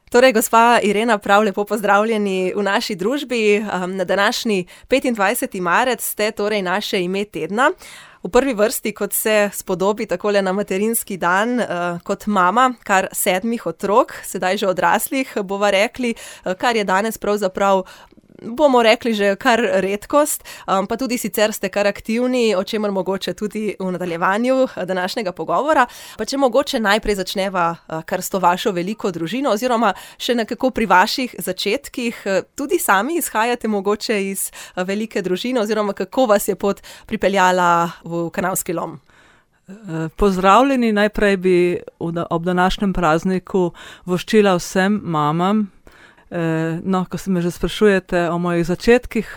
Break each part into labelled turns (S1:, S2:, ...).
S1: Torej, gospa Irena, prav lepo pozdravljeni v naši družbi. Na današnji 25. marec ste torej naše ime tedna. V prvi vrsti, kot se spodobi takole na materinski dan, kot mama kar 7 otrok, sedaj že odraslih, bova rekli, kar je danes pravzaprav, bomo rekli, že kar redkost, pa tudi sicer ste kar aktivni, o čemer mogoče tudi v nadaljevanju današnjega pogovora. Pa če mogoče najprej začneva kar s to vašo veliko družino, oziroma še nekako pri vaših začetkih, tudi sami izhajate mogoče iz velike družine, oziroma kako vas je pot pripeljala v Kanalski lom?
S2: Pozdravljeni, najprej bi ob današnjem prazniku voščila vsem mamam. Ko se me že sprašujete o mojih začetkih,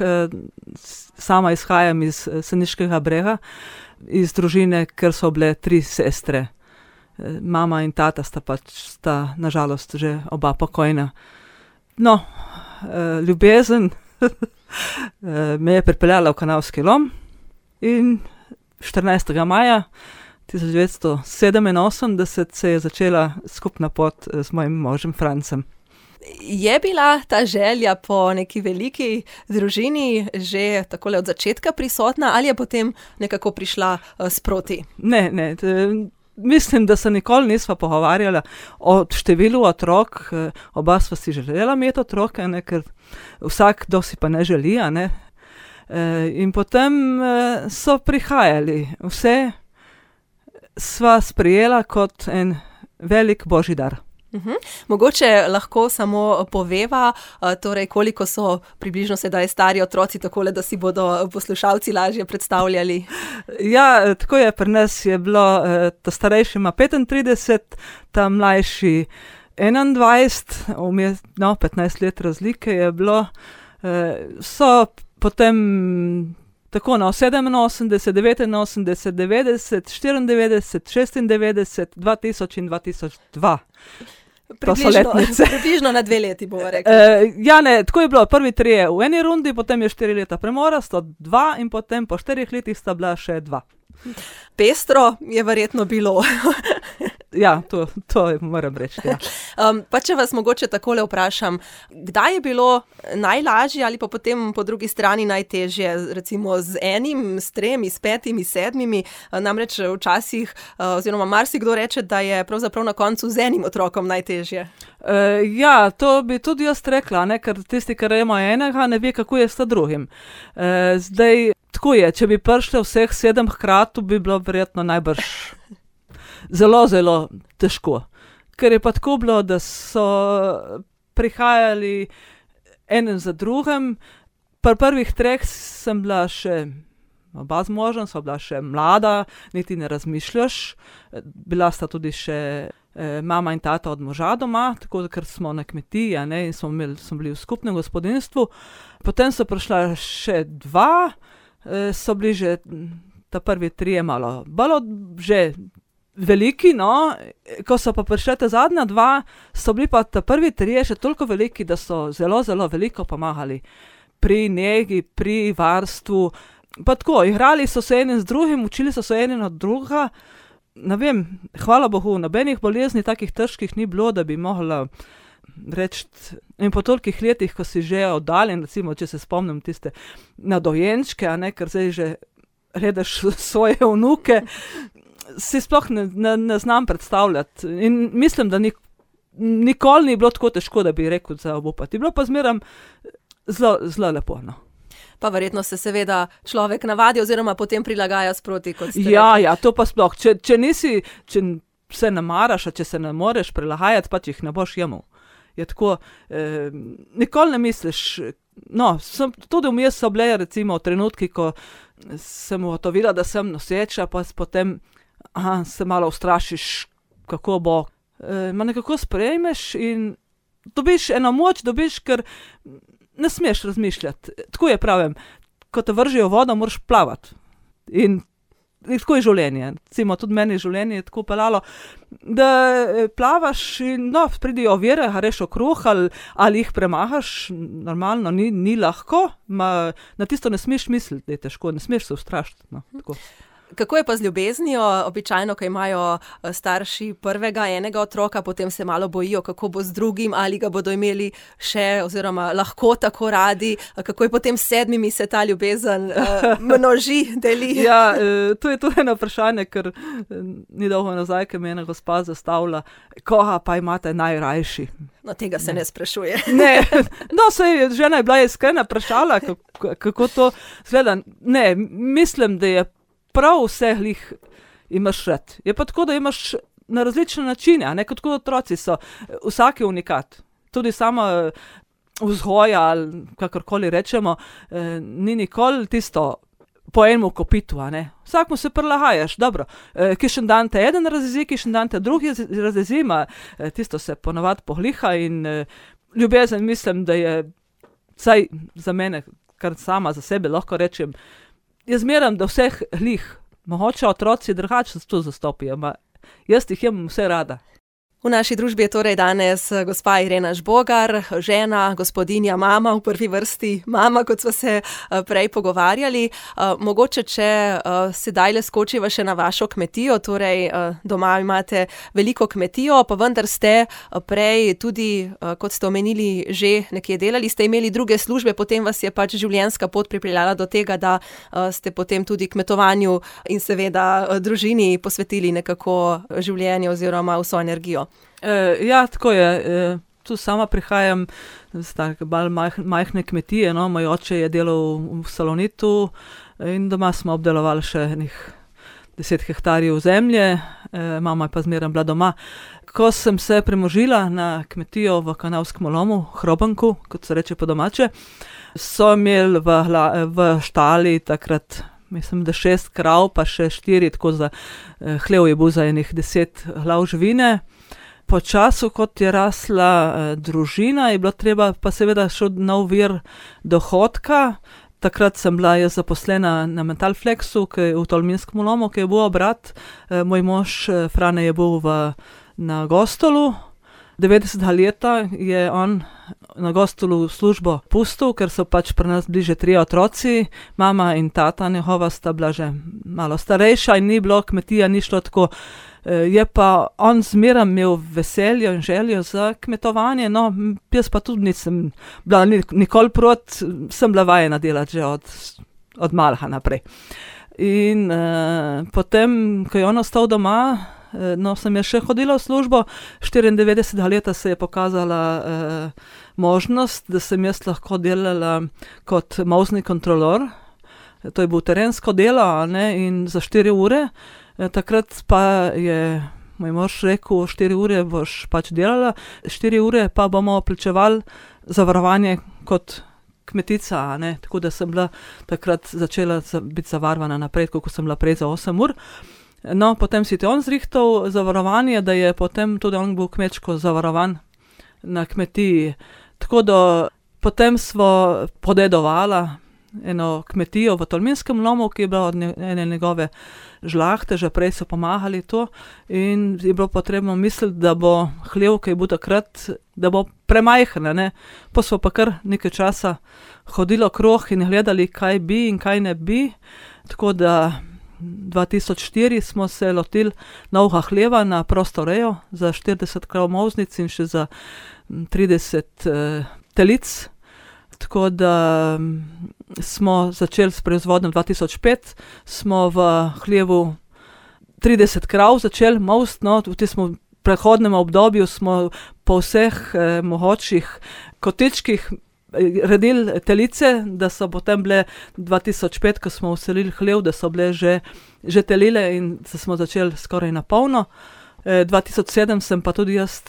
S2: sama izhajam iz Seniškega Brega, iz družine, ker so bile 3 sestre. Mama in tata sta nažalost že oba pokojna. Ljubezen me je pripeljala v Kanalski lom in 14. maja 1987 se je začela skupna pot z mojim možem Francem.
S1: Je bila ta želja po neki veliki družini že takole od začetka prisotna ali je potem nekako prišla sproti?
S2: Ne. Mislim, da se nikoli nisva pogovarjala o številu otrok. Oba sva si želela imeti otroke, ker vsak kdo si pa ne želi, ne. In potem so prihajali. Vse sva sprejela kot en velik božji dar.
S1: Mogoče lahko samo poveva, torej koliko so približno sedaj stari otroci, takole, da si bodo poslušalci lažje predstavljali.
S2: Ja, tako je, pri nas je bilo, ta starejši ima 35, ta mlajši 21, 15 let razlike je bilo. So potem tako 87, 89, 90, 94, 96, 2000 in 2002.
S1: Približno na 2 leti, bomo rekli.
S2: Tako je bilo. Prvi 3 v eni rundi, potem je 4 leta premora, 102 in potem po 4 letih sta bila še 2.
S1: Pestro je verjetno bilo.
S2: Ja, to moram reči. Ja.
S1: Pa če vas mogoče takole vprašam, kdaj je bilo najlažje ali pa potem po drugi strani najtežje, recimo z 1, s 3, s 5, s 7, namreč včasih, oziroma marsikdo reče, da je pravzaprav na koncu z 1 otrokom najtežje.
S2: Ja, to bi tudi jaz rekla, ker tisti, ki ima enega, ne ve, kako je s drugim. Zdaj, tako je, če bi prišli vseh 7 hkrati, bi bilo verjetno najbrž zelo, zelo težko. Ker je pa tako bilo, da so prihajali enem za drugim. Pri prvih 3 sem bila še, oba z možem, sva bila še mlada, niti ne razmišljaš. Bila sta tudi še mama in tata od moža doma, tako ker smo na kmetiji, in smo bili v skupnem gospodinjstvu. Potem so prišla še 2, so bili že ta prvi 3 malo že veliki, ko so pa prišle ta zadnja 2, so bili pa ta prvi 3 še toliko veliki, da so zelo, zelo veliko pomagali pri negi, pri varstvu. Pa tako, igrali so se enim z drugim, učili so se enim od drugega. Ne vem, hvala Bogu, nobenih bolezni takih težkih ni bilo, da bi mogla reči, in po tolikih letih, ko si že oddaljen, recimo, če se spomnim tiste na dojenčke, ker zdaj že gledaš svoje vnuke, si sploh ne znam predstavljati. In mislim, da nikoli ni bilo tako težko, da bi rekel za obupati. Bilo pa zmeraj zelo, zelo lepo.
S1: Pa verjetno se seveda človek navadi oziroma potem prilagaja sproti, kot ste rekli.
S2: Ja, to pa sploh. Če se ne maraš, če se ne moreš prilagajati, pač jih ne boš jemal. Je tako, nikoli ne misliš, tudi vmes so bile recimo trenutki, ko sem ugotovila, da sem noseča, pa potem se malo ustrašiš, kako bo. Nekako sprejmeš in dobiš eno moč, ker ne smeš razmišljati. Tako je, pravim, ko te vržijo v vodo, moraš plavati. In tako je življenje. Recimo, tudi meni življenje je tako peljalo, da plavaš in pridijo ovire, greš okrog ali jih premahaš, normalno, ni lahko, na tisto ne smeš misliti, da je težko, ne smeš se ustrašiti. Tako.
S1: Kako je pa z ljubeznijo? Običajno, ko imajo starši prvega, enega otroka, potem se malo bojijo, kako bo z drugim, ali ga bodo imeli še oziroma lahko tako radi. Kako je potem s 7 se ta ljubezen množi, deli?
S2: Ja, to je tudi eno vprašanje, ker ni dolgo nazaj, ko me je ena gospa zastavila, koga pa imate najrajši.
S1: No, tega se ne sprašuje.
S2: Ne, no, žena je bila iskrena, vprašala, kako to izgleda. Ne, mislim, da je prav vseh jih imaš rad. Je pa tako, da imaš na različne načine, a ne, kot otroci so. Vsak je unikat. Tudi sama vzgoja, ali kakorkoli rečemo, ni nikoli tisto po enem kopitu, a ne. Vsakmu se prilagajaš, dobro. Kišen dan te eden razjezi, kišen dan te drugi razjezi, tisto se ponavadi pogliha in ljubezen mislim, da je, vsaj za mene, kar sama za sebe lahko rečem, jaz zmeram, da vseh glih, mogoče otroci drugače to zastopijo, jaz jih imam vse rada.
S1: V naši družbi je torej danes gospa Irena Žbogar, žena, gospodinja, mama, v prvi vrsti mama, kot smo se prej pogovarjali. Mogoče, če sedaj le skočiva še na vašo kmetijo, torej doma imate veliko kmetijo, pa vendar ste prej tudi, kot ste omenili, že nekje delali, ste imeli druge službe, potem vas je pač življenjska pot pripeljala do tega, da ste potem tudi kmetovanju in seveda družini posvetili nekako življenje oziroma vso energijo.
S2: Ja, tako je. Tu sama prihajam z tako bolj majhne kmetije, no. Moj oče je delal v Salonitu in doma smo obdelovali še 10 hektarjev zemlje, mama je pa zmeraj bila doma. Ko sem se premožila na kmetijo v Kanalskem lomu, Hrobanku, kot se reče po domače, so imeli v štali takrat, mislim, da 6 krav, pa še 4, tako za hlev je bil za 10 glav živine. Po času, kot je rasla družina, je bilo treba pa seveda še nov vir dohodka. Takrat sem bila jaz zaposlena na Metalflexu, v Tolminskem lomu, ki je bil obrat. Moj mož Frane je bil na Gostolu. 90 leta je on na Gostolu službo pustil, ker so pač pri nas bliže 3 otroci. Mama in tata njegova sta bila že malo starejša in ni bilo, kmetija ni šlo tako. Je pa on zmeraj imel veselje in željo za kmetovanje, no, jaz pa tudi nisem bila nikoli proti, sem bila vajena delati že od malha naprej. In potem, ko je on ostal doma, no, sem jaz še hodila v službo, 94 leta se je pokazala možnost, da sem jaz lahko delala kot molzni kontrolor. To je bil terensko delo, a ne, in za 4 ure. Takrat pa je moj mož rekel, 4 ure boš pač delala, 4 ure pa bomo plačevali zavarovanje kot kmetica, a ne. Tako da sem bila takrat začela biti zavarovana naprej, ko sem bila prej za 8 ur. No, potem si on zrihtal zavarovanje, da je potem tudi on bil kmečko zavarovan na kmetiji. Tako da potem smo podedovala eno kmetijo v Tolminskem lomu, ki je bila od ene njegove žlahte, že prej so pomagali to in je bilo potrebno misliti, da bo hlev, ki je bil takrat, da bo premajhen, ne. Pa smo pa kar nekaj časa hodili okrog in gledali, kaj bi in kaj ne bi. Tako da 2004 smo se lotili novega hleva na prosto rejo za 40 krav molznic in še za 30 telic. Tako da smo začeli s proizvodnjo 2005, smo v hlevu 30 krav začeli molsti, no, v tistem prehodnem obdobju smo po vseh mogočih kotičkih redili telice, da so potem bile 2005, ko smo vselili hlev, da so bile že telile in smo začeli skoraj na polno. 2007 sem pa tudi jaz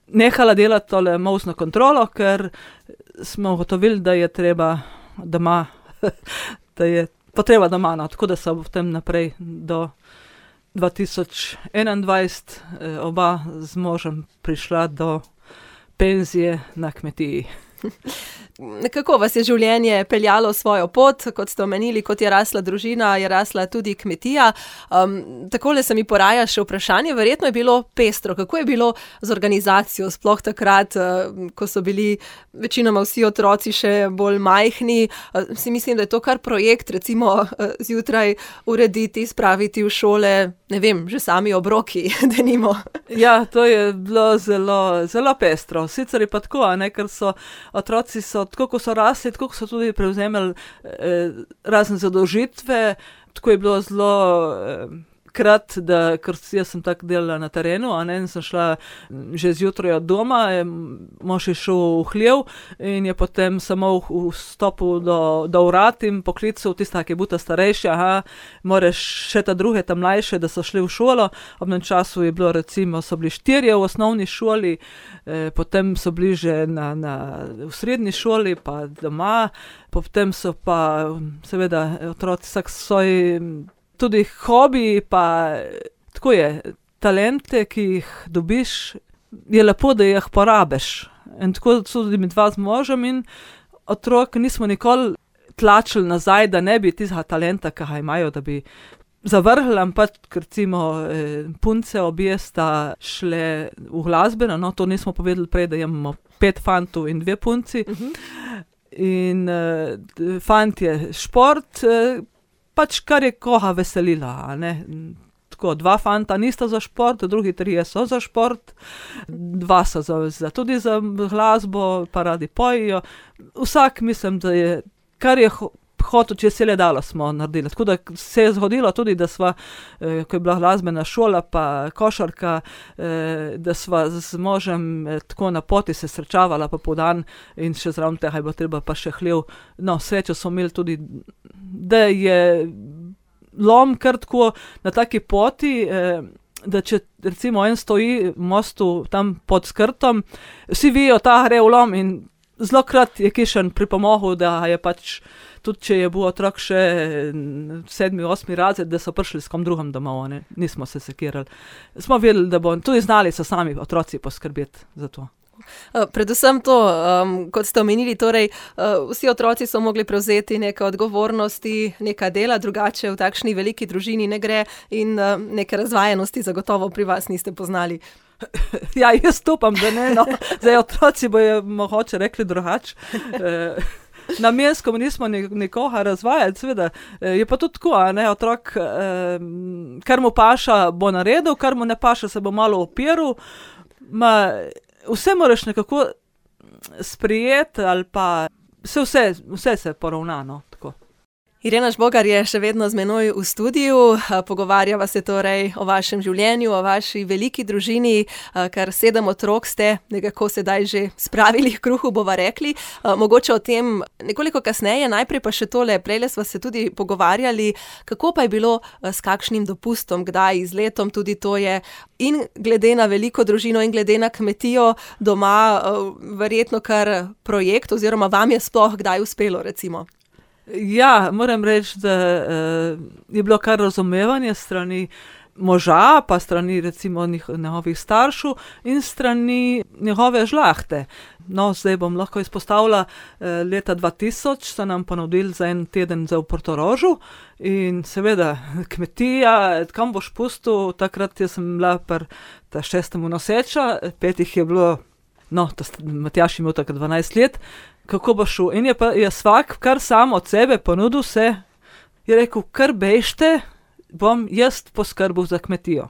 S2: nehala delati tole molzno kontrolo, ker smo ugotovili, da je treba doma, da je potreba doma, no, tako da so potem naprej do 2021 oba z možem prišla do penzije na kmetiji.
S1: Nekako vas je življenje peljalo svojo pot, kot ste omenili, kot je rasla družina, je rasla tudi kmetija. Takole se mi poraja še vprašanje, verjetno je bilo pestro. Kako je bilo z organizacijo, sploh takrat, ko so bili večinoma vsi otroci še bolj majhni? Si mislim, da je to kar projekt, recimo zjutraj urediti, spraviti v šole, ne vem, že sami obroki, denimo.
S2: Ja, to je bilo zelo, zelo pestro. Sicer je pa tako, ker otroci tako, ko so rasli, tako so tudi prevzemali razne zadolžitve. Tako je bilo zelo ker jaz sem tako delala na terenu, in sem šla že zjutraj od doma, mož je šel v hlev in je potem samo vstopil do vrat in poklical tista, ki je bila starejša, moraš še ta druge, ta mlajše, da so šli v šolo. Ob tem času je bilo recimo, so bili 4 v osnovni šoli, potem so bili že v srednji šoli, pa doma, potem so pa seveda otroci vsak svoj tudi hobi, pa tako je, talente, ki jih dobiš, je lepo, da jih porabiš. In tako tudi mi dva z možem in otrok nismo nikoli tlačili nazaj, da ne bi tistega talenta, ki ga imajo, da bi zavrhli, ampak recimo punce obje sta šle v glasbeno, to nismo povedali prej, da imamo 5 fantov in 2 punci. In fant je šport, pač kar je koga veselila, Tako, 2 fanta nista za šport, drugi 3 so za šport, 2 so tudi za glasbo, pa radi pojejo. Vsak mislim, da je, kar je hotel, če se le dalo, smo naredili. Tako da se je zgodilo tudi, da sva, ko je bila glasbena šola, pa košarka, da sva z možem tako na poti se srečavala popoldan in še zraven tega je bilo treba pa še hlev. Srečo smo imeli tudi, da je lom kar tako na taki poti, da če recimo en stoji v mostu tam pod skrtom, vsi vijo, ta gre v lom in zlokrat je kišen pripomogel, da je pač, tudi če je bil otrok še 7., 8. razred, da so prišli s kom drugim domov, nismo se sekirali. Smo vedeli, da bo, tudi znali so sami otroci poskrbeti za to.
S1: Predvsem to, kot ste omenili, torej vsi otroci so mogli prevzeti neke odgovornosti, neka dela, drugače v takšni veliki družini ne gre in neke razvajenosti zagotovo pri vas niste poznali.
S2: Ja, jaz upam, da ne, zdaj otroci bojo mogoče rekli drugače. Namensko nismo nikoga razvajati, seveda. Je pa tudi tako, otrok, kar mu paša, bo naredil, kar mu ne paša, se bo malo opiral. Vse moraš nekako sprijeti ali pa vse se poravna, tako.
S1: Irena Žbogar je še vedno z menoj v studiu, pogovarjava se torej o vašem življenju, o vaši veliki družini, kar 7 otrok ste nekako sedaj že spravili k kruhu, bova rekli. Mogoče o tem nekoliko kasneje, najprej pa še tole, prejle sva se tudi pogovarjali, kako pa je bilo s kakšnim dopustom, kdaj z letom, tudi to je in glede na veliko družino in glede na kmetijo doma verjetno kar projekt oziroma vam je sploh kdaj uspelo, recimo.
S2: Ja, moram reči, da je bilo kar razumevanje strani moža, pa strani recimo njegovih staršev in strani njegove žlahte. Zdaj bom lahko izpostavila, leta 2000 so nam ponudili za en teden v Portorožu in seveda kmetija, kam boš pustil, takrat jaz sem bila pri 6. noseča, 5 je bilo, Matjaž je imel takrat 12 let, kako bo šel. In je vsak kar sam od sebe ponudil se, je rekel, kar bežte, bom jaz poskrbel za kmetijo.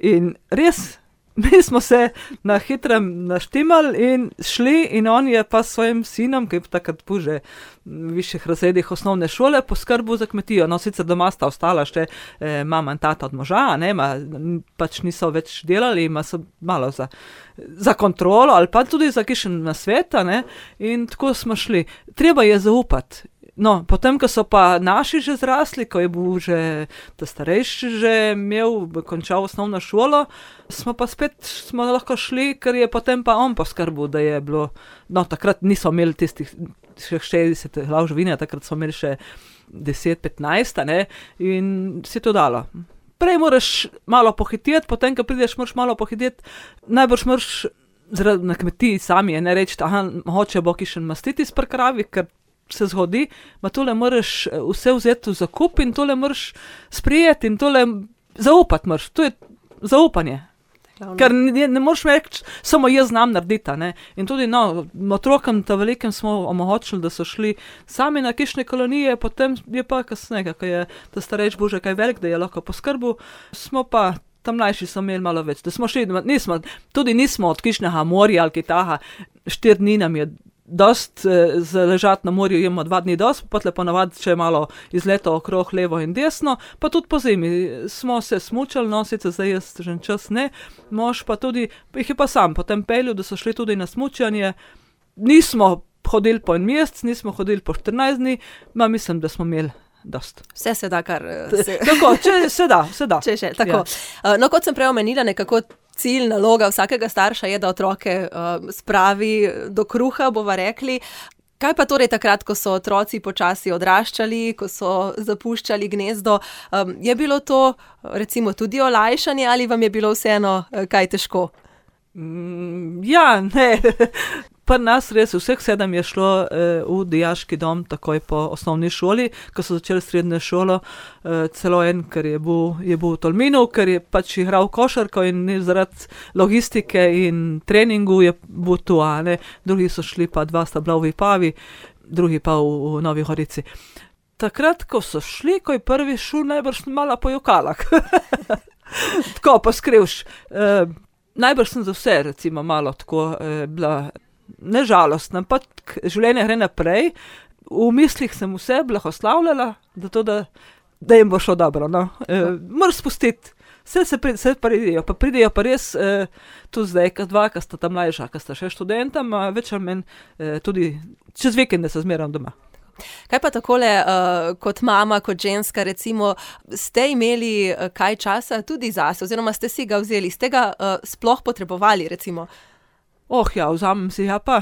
S2: In res, mi smo se na hitrem naštimali in šli in on je pa s svojim sinom, ki je takrat bil že v višjih razredih osnovne šole, poskrbel za kmetijo. Sicer doma sta ostala še mama in tata od moža, pač niso več delali, ima so malo za kontrolo ali pa tudi za kakšen nasvet, in tako smo šli. Treba je zaupati. Potem, ko so pa naši že zrasli, ko je bil že ta starejši že končal osnovno šolo, smo pa spet lahko šli, ker je potem pa on poskrbel, da je bilo, takrat niso imeli tistih 60 glav živine, takrat smo imeli še 10-15, in si to dalo. Prej moraš malo pohiteti, potem, ko prideš, moraš malo pohiteti, najbrž moraš na kmetiji sami je ne reči, hoče bo kišen mastitis pri kravi, ker se zgodi, tole moraš vse vzeti v zakup in tole moraš sprijeti in tole zaupati moraš. To je zaupanje. Ker ne moreš reči, samo jaz znam narediti. Ne? In tudi otrokom ta velikem smo omogočili, da so šli sami na kišne kolonije, potem je pa kasneje, ko je ta starejši bil že kaj velik, da je lahko poskrbel, smo pa tam mlajši so imeli malo več. Da smo šli, nismo od kišnega morja ali kitaha, 4 dni nam je dost ležati na morju, imamo 2 dni dost, potle ponavadi če je malo izleto okrog levo in desno, pa tudi po zimi smo se smučali, sicer zdaj jaz že čas ne, mož pa tudi, jih je pa sam potem peljal, da so šli tudi na smučanje, nismo hodili po en mesec, nismo hodili po 14 dni, mislim, da smo imeli dost.
S1: Vse se da, kar
S2: Tako, se da.
S1: Če še, tako. Ja. Kot sem prej omenila, nekako cilj, naloga vsakega starša je, da otroke spravi do kruha, bova rekli. Kaj pa torej takrat, ko so otroci počasi odraščali, ko so zapuščali gnezdo, je bilo to recimo tudi olajšanje ali vam je bilo vseeno kaj težko?
S2: Ja, ne. Pri nas res vseh 7 je šlo v dijaški dom takoj po osnovni šoli, ko so začeli srednjo šolo, celo en, ker je bil v Tolminu, ker je pač igral košarko in zaradi logistike in treningu je bil tu, drugi so šli pa 2 sta bila v Vipavi, drugi pa v Novi Gorici. Takrat, ko so šli, ko je prvi šel, najbrž malo po jokalak. Tako, poskrivš. Najbrž sem za vse, recimo, malo tako bila nežalostna, pa življenje gre naprej. V mislih sem vse blagoslavljala, da jim bo šlo dobro. Moraš spustiti. Vse pridejo, pa pridejo pa res tu zdaj, ki sta tam mlajša, ki sta še študenta, več ali manj tudi čez vikende se zmeram doma.
S1: Kaj pa takole, kot mama, kot ženska, recimo, ste imeli kaj časa tudi zase, oziroma ste si ga vzeli, ste ga sploh potrebovali, recimo?
S2: Ja, vzamem si ga pa.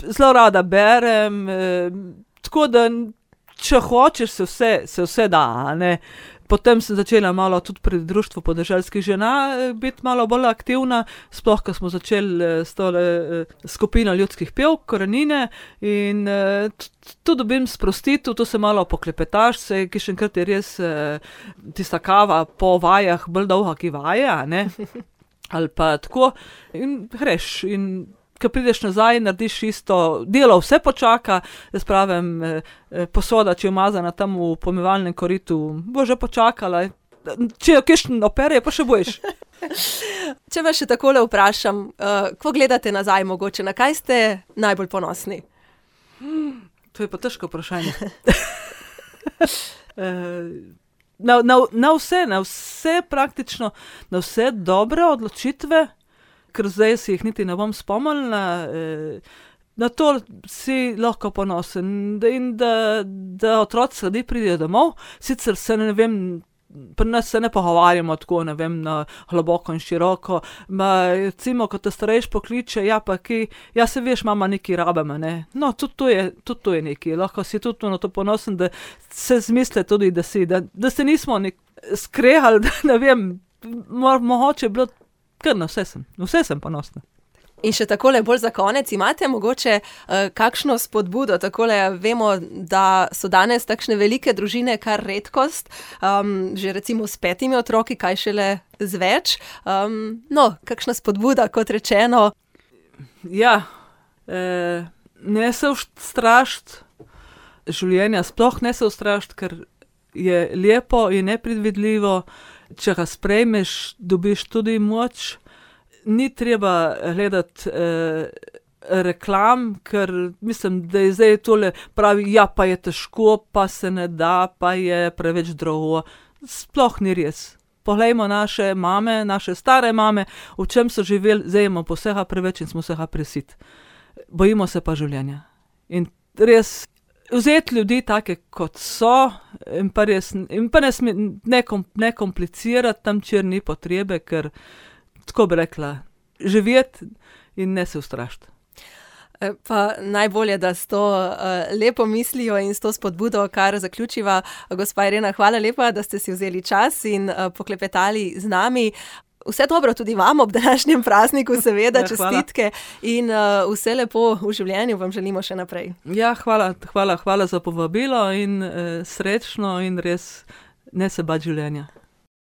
S2: Zelo rada berem, tako da, če hočeš, se vse da, ne. Potem sem začela malo tudi pri društvu podeželskih žena biti malo bolj aktivna, sploh, ko smo začeli s tole skupino ljudskih pevk, Korenine, in tu dobim sprostitev, tu se malo poklepetaš, ki še enkrat je res tista kava po vajah, bolj dolga, ki vaje, ne, ali pa tako, in greš, in ko prideš nazaj, narediš isto, delo vse počaka, jaz pravim, posoda, če je umazana tam v pomivalnem koritu, bo že počakala, če jo kakšen opere, pa še boš.
S1: Če vas še takole vprašam, ko gledate nazaj mogoče, na kaj ste najbolj ponosni?
S2: To je pa težko vprašanje. Na vse praktično, na vse dobre odločitve, ker zdaj si jih niti ne bom spomnila, na to si lahko ponosen, in da otroci sledi pridejo domov, sicer se ne vem, pri nas se ne pogovarjamo tako, ne vem, na globoko in široko, recimo, ko te starejši pokliče, se veš, mama nekaj rabimo, ne, tudi to je nekaj, lahko si tudi na to ponosen, da se zmisle tudi, da se nismo skrehali, da ne vem, mogoče bilo. Ker na vse sem ponosna.
S1: In še takole bolj za konec, imate mogoče kakšno spodbudo, takole vemo, da so danes takšne velike družine kar redkost, že recimo s 5 otroki, kaj šele z več, kakšna spodbuda, kot rečeno.
S2: Ja, ne se ustrašiti življenja, sploh ne se ustrašiti, ker je lepo in nepredvidljivo. Če ga sprejmeš, dobiš tudi moč. Ni treba gledati reklam, ker mislim, da je zdaj tole pravi, pa je težko, pa se ne da, pa je preveč drago. Sploh ni res. Poglejmo naše mame, naše stare mame, v čem so živeli, zdaj imamo vsega preveč in smo vsega presiti. Bojimo se pa življenja. In res vzeti ljudi take, kot so, in pa ne komplicirati tam, kjer ni potrebe, ker, tako bi rekla, živeti in ne se ustrašiti.
S1: Pa najbolje, da s to lepo mislijo in s to spodbudo, kar zaključiva. Gospa Irena, hvala lepa, da ste si vzeli čas in poklepetali z nami. Vse dobro tudi vam ob današnjem prazniku, seveda,
S2: Ja,
S1: čestitke in vse lepo v življenju vam želimo še naprej.
S2: Ja, hvala za povabilo in srečno in res ne se bati življenja.